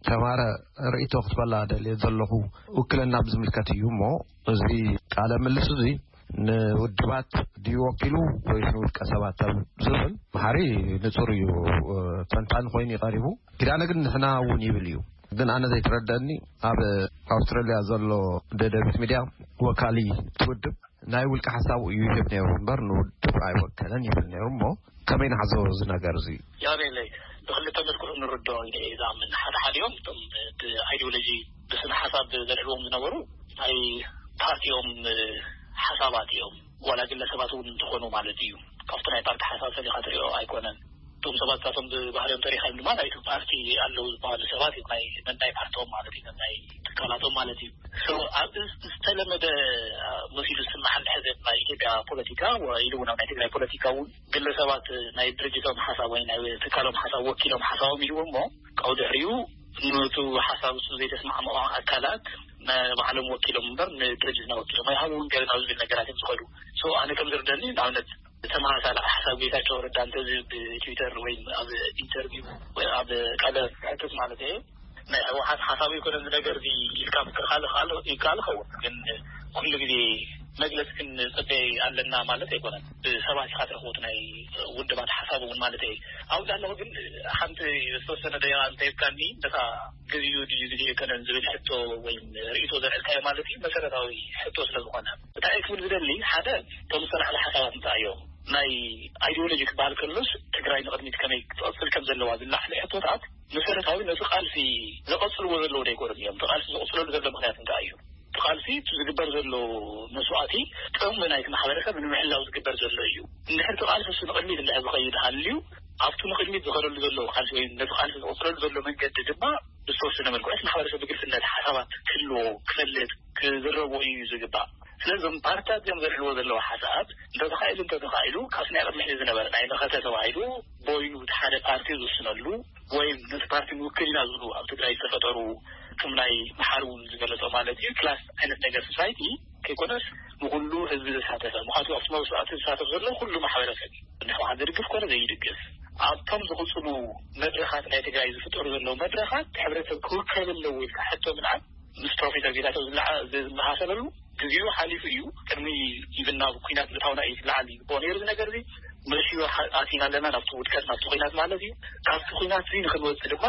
ተማረ ርእይቶ ክትበላ ደልየ ዘለኹ ውክልና ብዝምልከት እዩ እሞ፣ እዚ ቃለ ምልስ እዚ ንውድባት ድዩ ወኪሉ ወይስ ንውልቀ ሰባት ኣብ ዝብል መሓሪ ንጹር እዩ፣ እ፣ ተንታኒ ኮይኑ ይቐሪቡ። ኪዳነ ግን ንሕና እውን ይብል እዩ። ግን ኣነ ዘይተረደአኒ ኣብ ኣውስትራልያ ዘሎ ደደቢት ሚድያ ወካሊ ትውድብ ናይ ውልቀ ሓሳቡ እዩ ይህብ ነይሩ እምበር ንውድብ ኣይወከለን ይብል ነይሩ እሞ ከመይ ንሓዞ እዚ ነገር እዚ? ያሬለይ ብክልተ መልክዑ ንርድኦ ኢለ እየ ዝኣምን። ሓደ ሓዲኦም እቶም ብኣይዲዮሎጂ ብስነ ሓሳብ ዘልዕልዎም ዝነበሩ ናይ ፓርቲኦም ሓሳባት እዮም። ዋላ ግለሰባት እውን እንትኾኑ ማለት እዩ። ካብቲ ናይ ፓርቲ ሓሳብ ፈሊኻ ትሪኦ ኣይኮነን። እቶም ሰባት እሳቶም ብባህሪኦም ተሪኻዮም ድማ ናይቲ ፓርቲ ኣለዉ ዝበሃሉ ሰባት እዮም። ናይ ነናይ ፓርቲኦም ማለት እዩ፣ ነናይ ትካላቶም ማለት እዩ። So ኣብ ዝተለመደ መሲሉ ዝስማዕ እንድሕር ናይ ኢትዮጵያ ፖለቲካ ወ-፣ ኢሉ እውን ኣብ ናይ ትግራይ ፖለቲካ እውን ግለሰባት ናይ ድርጅቶም ሓሳብ ወይ ናይ ትካሎም ሓሳብ ወኪሎም ሓሳቦም ኢሉ እሞ ካብኡ ድሕሪኡ ነቱ ሓሳብ እሱ ዘይተስማዕምዖ ኣካላት ንባዕሎም ወኪሎም እምበር ንድርጅትና ወኪሎም ኣይሃብውን ገለ ናብ ዝብል ነገራት እዮም ዝኸዱ። So ኣነ ከም ዝርደኒ ንኣብነት ተመሳሳሊ ሓሳብ ጌታቸው ረዳ እንተዝህብ ብትዊተር ወይ ኣብ ኢንተርቪው ወይ ኣብ ቃለ ሕትት ማለት እየ ናይ ህወሓት ሓሳብ ይኮነ እዚ ነገር እዚ ኢልካ ምክልኻል ይከኣል ይከኣል ይኸውን። ግን ኩሉ ግዜ መግለፂ ክንፅበ ኣለና ማለት ኣይኮነን። ብሰባት ኢኻ ትረኽቦት ናይ ውድባት ሓሳብ እውን ማለት እየ። ኣብኡ እንዳለኹ ግን ሓንቲ ዝተወሰነ ደቂቃ እንተሂብካኒ ነታ ግዜኡ ድዩ ግዜ ኣይኮነን ዝብል ሕቶ ወይም ርእይቶ ዘልዕልካዮ ማለት እዩ መሰረታዊ ሕቶ ስለ ዝኾነ እንታይ እየ ክብል ዝደሊ፣ ሓደ እቶም ዝተላዕለ ሓሳባት እንታይ እዮም? ናይ ኣይዲዮሎጂ ክበሃል ከሎስ ትግራይ ንቕድሚት ከመይ ክትቐፅል ከም ዘለዋ ዝላዕለ ሕቶታት መሰረታዊ ነቲ ቃልሲ ዘቐፅልዎ ዘለዉ ዶ ኣይኮኑን እዮም? እቲ ቃልሲ ዝቕፅለሉ ዘሎ ምኽንያት እንታይ እዩ? እቲ ቃልሲ እቲ ዝግበር ዘሎ መስዋእቲ ጥቕሚ ናይቲ ማሕበረሰብ ንምሕላው ዝግበር ዘሎ እዩ። እንድሕር እቲ ቃልሲ እሱ ንቕድሚት እንድሕር ዝኸይድ ሃልዩ ኣብቲ ንቕድሚት ዝኸደሉ ዘሎ ቃልሲ ወይ ነቲ ቃልሲ ዝቕፅለሉ ዘሎ መንገዲ ድማ ብዝተወሰነ መልክዑ እቲ ማሕበረሰብ ብግልፅነት ሓሳባት ክህልዎ ክፈልጥ ክዝረቦ እዩ ዝግባእ። ስለዞም ፓርትታት እዮም ዘልዕልዎ ዘለዉ ሓሳባት እንተተኻኢሉ እንተተኻኢሉ ካብቲ ናይ ቅድሚ ሕዚ ዝነበረ ናይ መኸተ ተባሂሉ ቦይኑ እቲ ሓደ ፓርቲ ዝውስነሉ ወይም ነቲ ፓርቲ ንውክል ኢና ዝብሉ ኣብ ትግራይ ዝተፈጠሩ ከም ናይ መሓር እውን ዝገለጾ ማለት እዩ ክላስ ዓይነት ነገር ሶሳይቲ ከይኮነስ ንኩሉ ህዝቢ ዘሳተፈ ምኳቱ ኣብቲ መስዋዕቲ ዝሳተፍ ዘሎ ኩሉ ማሕበረሰብ እዩ። ንሕወሓት ዝድግፍ ኮነ ዘይድግፍ ኣብቶም ዝቕፅሉ መድረኻት ናይ ትግራይ ዝፍጠሩ ዘለዉ መድረኻት ሕብረተሰብ ክውከል ኣለዎ ኢልካ ሕቶ ምልዓል ምስ ፕሮፌሰር ጌታቸው ዝለዓ-፣ ዝመሳሰለሉ ግዜኡ ሓሊፉ እዩ። ቅድሚ ኢቭን ናብ ኩናት ምእታውና እዩ ዝለዓል ይግብኦ ነይሩ። እዚ ነገር እዚ መሽዮ ሓ-፣ ኣቲና ኣለና ናብቲ ውድቀት ናብቲ ኩናት ማለት እዩ። ካብቲ ኩናት እዚ ንክንወፅእ ድማ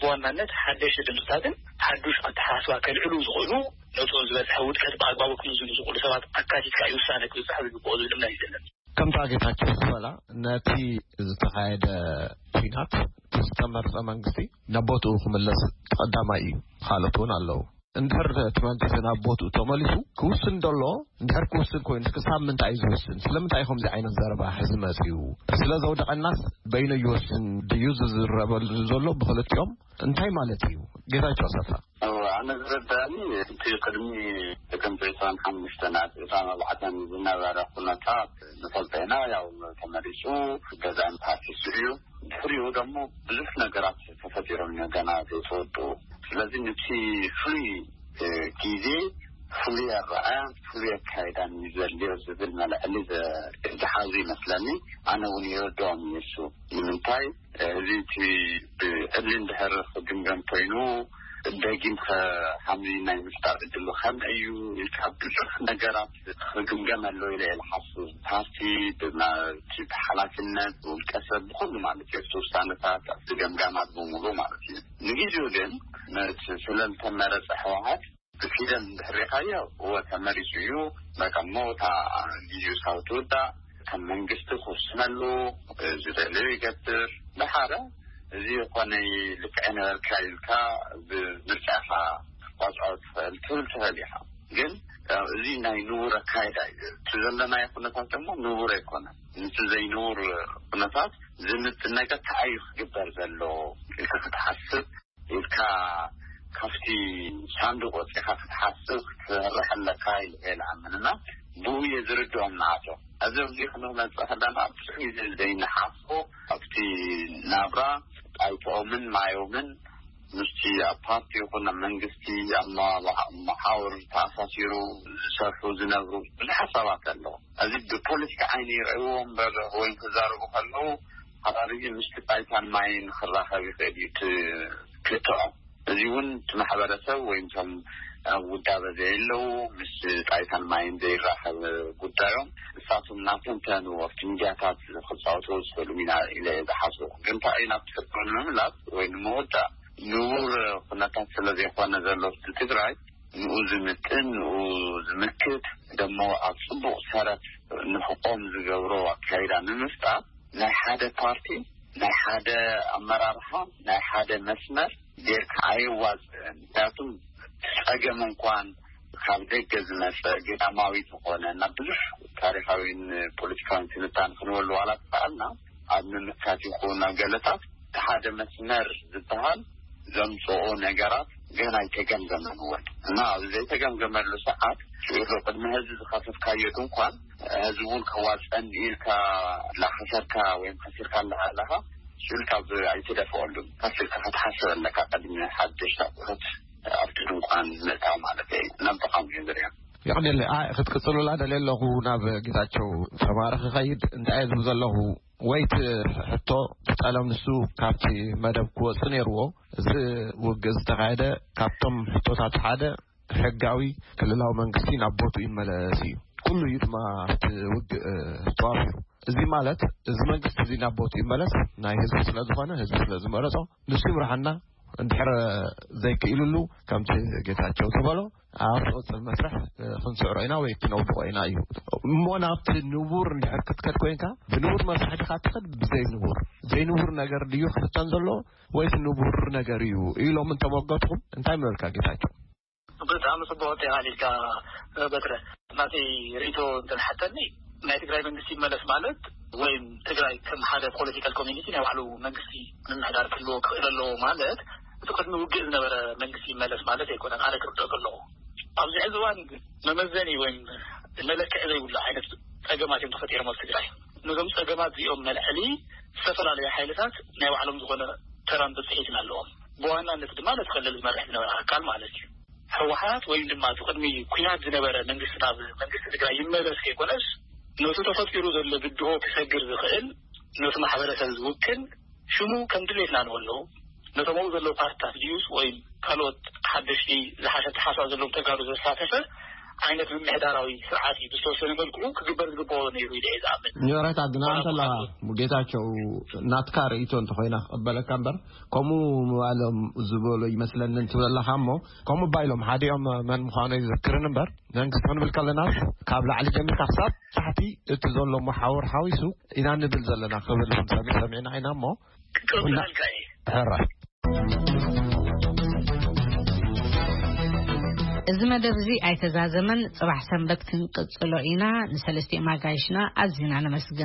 ብዋናነት ሓደሽቲ ድምፅታትን ሓዱሽ ኣተሓሳስባ ከልዕሉ ዝኽእሉ ነቶም ዝበፅሐ ውድቀት ብኣግባቡ ክምዝኑ ዝኽእሉ ሰባት ኣካቲትካ እዩ ውሳነ ክብፅሕ ዝግብኦ ዝብል እምነት እዩ ዘለና። ከምታ ጌታቸው ዝበላ ነቲ ዝተኻየደ ኩናት ዝተመርጸ መንግስቲ ናብ ቦትኡ ክምለስ ቀዳማይ እዩ። ካልኦት እውን ኣለዉ። እንድሕር እቲ መንግስቲ ናብ ቦትኡ ተመሊሱ ክውስን ደሎ፣ እንድሕር ክውስን ኮይኑ ክሳብ ምንታይ እዩ ዝውስን? ስለምንታይ እዩ ከምዚ ዓይነት ዘረባ ሕዚ መጺኡ? ስለ ዘውደቐናስ በይኑ ይወስን ድዩ ዝዝረበሉ ዘሎ ብክልቲኦም? እንታይ ማለት እዩ? ጌታቸው ኣሰፋ። ኣነ ዝረዳእኒ እቲ ቅድሚ ጥቅምቲ ዕስራን ሓሙሽተን ኣብ ኤርትራን ኣርባዕተን ዝነበረ ኩነታት ንፈልጦ ኢና። ያው ተመሪጹ ገዛን ፓርቲ ስርዩ ድሕሪኡ ደሞ ብዙሕ ነገራት ተፈጢሮም እዮም ገና ዘይተወድኡ። ስለዚ ነቲ ፍሉይ ግዜ ፍሉይ ኣረኣያን ፍሉይ ኣካይዳን እዩ ዘድልዮ ዝብል መልዕሊ ዝሓዙ ይመስለኒ። ኣነ እውን ይርድኦም እዩ እሱ። ንምንታይ እዚ እቲ ብዕሊ እንድሕር ክግምገም ኮይኑ ደጊም ከ ሓምሊ ናይ ምፍጣር እድሉ ከመይ እዩ ኢልካ ብዙሕ ነገራት ክግምገም ኣለዎ ኢለ እየ ዝሓስብ። ፓርቲ ብናቲ ብሓላፍነት ብውልቀ ሰብ ብኩሉ ማለት እዩ ኣብቲ ውሳነታት ኣብቲ ገምጋማት ብምሉ ማለት እዩ። ንግዜኡ ግን ነቲ ስለልተመረፀ ህወሓት ብፊደል እንድሕር ሪኻዮ እወ ተመሪፁ እዩ። በቃ ሞታ ጊዜኡ ሳብ ትውዳእ ከም መንግስቲ ክውስነሉ ዝደልዮ ይገብር። ድሓረ እዚ ኮነ ልክዕ ነበርካ ኢልካ ብምርጫኻ ክትቋፅዖ ትኽእል ትብል ትኽእል ኢኻ። ግን እዚ ናይ ንቡር ኣካይዳ እዩ። እቲ ዘለናዮ ኩነታት ደግሞ ንቡር ኣይኮነን። ነቲ ዘይንቡር ኩነታት ዝምጥን ነገር ተኣዩ ክግበር ዘሎ ኢልካ ክትሓስብ ኢልካ ካብቲ ሳንዱቅ ወፂኻ ክትሓስብ ክትሰርሕ ኣለካ ኢለ እየ ዝኣምን እና ብኡ እየ ዝርድኦም ንኣቶ። እዚ ኣብዚ ክንመፅእ ከለና ብዙሕ ግዜ ዘይንሓስቦ ኣብቲ ናብራ ጣይቶኦምን ማዮምን ምስቲ ኣብ ፓርቲ ይኹን ኣብ መንግስቲ ኣብ መ- መሓውር ተኣሳሲሩ ዝሰርሑ ዝነብሩ ብዙሓት ሰባት ኣለዉ። እዚ ብፖለቲካ ዓይኒ ይርእይዎ እምበር ወይ ክዛረቡ ከለዉ ሓራርጊ ምስቲ ጣይታን ማይን ክራኸብ ይኽእል እዩ እቲ ክልተኦም። እዚ እውን እቲ ማሕበረሰብ ወይ እቶም ኣብ ውዳበ ዘየለዉ ምስ ጣይታን ማይን ዘይራኸብ ጉዳዮም ንሳቶም እናተንተኑ ኣብቲ ሚድያታት ክፃወቱ ዝኽእሉ ሚና ኢለ እየ ዝሓስቡ። ግን እንታይ እዩ ናብቲ ሕቶ ንምምላስ ወይ ንምወዳእ ንቡር ኩነታት ስለ ዘይኮነ ዘሎ እቲ ትግራይ ንኡ ዝምጥን ንኡ ዝምክት ደሞ ኣብ ፅቡቕ ሰረት ንክቆም ዝገብሮ ኣካይዳ ንምፍጣር ናይ ሓደ ፓርቲ ናይ ሓደ ኣመራርሓ ናይ ሓደ መስመር ጌርካ ኣየዋፅእን። ምክንያቱም ጸገም እንኳን ካብ ደገ ዝመጸ ግዳማዊ ዝኾነ እና ብዙሕ ታሪኻዊን ፖለቲካዊን ትንታን ክንበሉ ዋላ ተኸኣልና ኣብ ምምካት ይኹን ኣብ ገለታት እቲ ሓደ መስመር ዝበሃል ዘምፅኦ ነገራት ገና ኣይተገምገመን እውን እና ኣብ ዘይተገምገመሉ ሰዓት ሽዑ ቅድሚ ህዝቢ ዝኸፈትካዮ ድንኳን ህዝቢ እውን ከዋፀን ኢልካ ላኸሰርካ ወይም ከሲርካ ኣለካ ሽዑ ካብ ኣይትደፍኦሉን ከሲርካ ክትሓስብ ኣለካ ቅድሚ ሓደሽቲ ኣቑሑት ኣብቲ ድንኳን ምእታው ማለት እዩ። ናብ ተቃውሞ እዩ ዝሪኦ። የቕኔለይ ኣይ ክትቅፅሉላ ደልየ ኣለኹ ናብ ጌታቸው ተማረ ክኸይድ እንታይ እየ ዝብል ዘለኹ ወይ እቲ ሕቶ እቲ ጠለም ንሱ ካብቲ መደብ ክወፅእ ነይርዎ። እዚ ውግእ ዝተኻየደ ካብቶም ሕቶታት ሓደ ሕጋዊ ክልላዊ መንግስቲ ናብ ቦትኡ ይመለስ እዩ። ኩሉ እዩ ድማ ኣብቲ ውግእ ተዋፊሩ። እዚ ማለት እዚ መንግስቲ እዚ ናብ ቦትኡ ይመለስ ናይ ህዝቢ ስለ ዝኾነ ህዝቢ ስለ ዝመረፆ ንሱ ይምርሓና እንድሕር ዘይክኢሉሉ ከምቲ ጌታቸው ዝበሎ ኣብ ዝቕፅል መስርሕ ክንስዕሮ ኢና ወይ ክነውድቆ ኢና እዩ። እሞ ናብቲ ንቡር እንድሕር ክትከድ ኮይንካ ብንቡር መስርሕ ድካ ትኸድ ብዘይ ንቡር ዘይንቡር ነገር ድዩ ክፍተን ዘሎ ወይስ ንቡር ነገር እዩ ኢሎም እንተመገትኩም እንታይ ምበልካ ጌታቸው? ብጣዕሚ ፅቡቅ ቴና ኢልካ በትረ ናተይ ርእቶ እንተሓተኒ ናይ ትግራይ መንግስቲ ይመለስ ማለት ወይም ትግራይ ከም ሓደ ፖለቲካል ኮሚኒቲ ናይ ባዕሉ መንግስቲ ምምሕዳር ክህልዎ ክኽእል ኣለዎ ማለት እቲ ቅድሚ ውግእ ዝነበረ መንግስቲ ይመለስ ማለት ኣይኮነን። ኣነ ክርድኦ ከለኹ ኣብዚ ሕዚ እዋን ግን መመዘኒ ወይም መለክዒ ዘይብሉ ዓይነት ፀገማት እዮም ተፈጢሮም ኣብ ትግራይ። ነዞም ፀገማት እዚኦም መልዕሊ ዝተፈላለዩ ሓይልታት ናይ ባዕሎም ዝኾነ ተራን ብፅሒትን ኣለዎም። ብዋናነት ድማ ነቲ ክልል ዝመርሕ ዝነበረ ኣካል ማለት እዩ። ህወሓት ወይም ድማ እቲ ቅድሚ ኩናት ዝነበረ መንግስቲ ናብ መንግስቲ ትግራይ ይመለስ ከይኮነስ ነቲ ተፈጢሩ ዘሎ ብድሆ ክሰግር ዝኽእል ነቲ ማሕበረሰብ ዝውክል ሽሙ ከም ድሌትና ንበሎ ነቶም ኣብኡ ዘለዉ ፓርትታት ድዩስ ወይም ካልኦት ሓደሽቲ ዝሓሸ ኣተሓሳስባ ዘለዎም ተጋሩ ዘሳተፈ ዓይነት ምምሕዳራዊ ስርዓት እዩ ብዝተወሰነ መልክዑ ክግበር ዝግበኦ ነይሩ ኢለ እየ ዝኣምን። ንረታ ግና ዋላ እንተለኻ እኳ ጌታቸው ናትካ ርእይቶ እንተኾይና ክቐበለካ እምበር ከምኡ ምባሎም ዝበሎ ይመስለኒ እንትብለኻ እሞ ከምኡ ባይሎም ሓዲኦም መን ምዃኑ ይዝክርን እምበር መንግስቲ ክንብል ከለናስ ካብ ላዕሊ ጀሚርካ ክሳብ ታሕቲ እቲ ዘሎ መሓውር ሓዊሱ ኢና ንብል ዘለና ክብል እውን ሰሚ- ሰሚዕና ኢና እሞ ክቅበለልካ እየ። ሕራይ እዚ መደብ እዚ ኣይተዛዘመን። ጽባሕ ሰንበት ክንቅጽሎ ኢና። ንሰለስቲኦም ኣጋይሽና ኣዚና ነመስግን።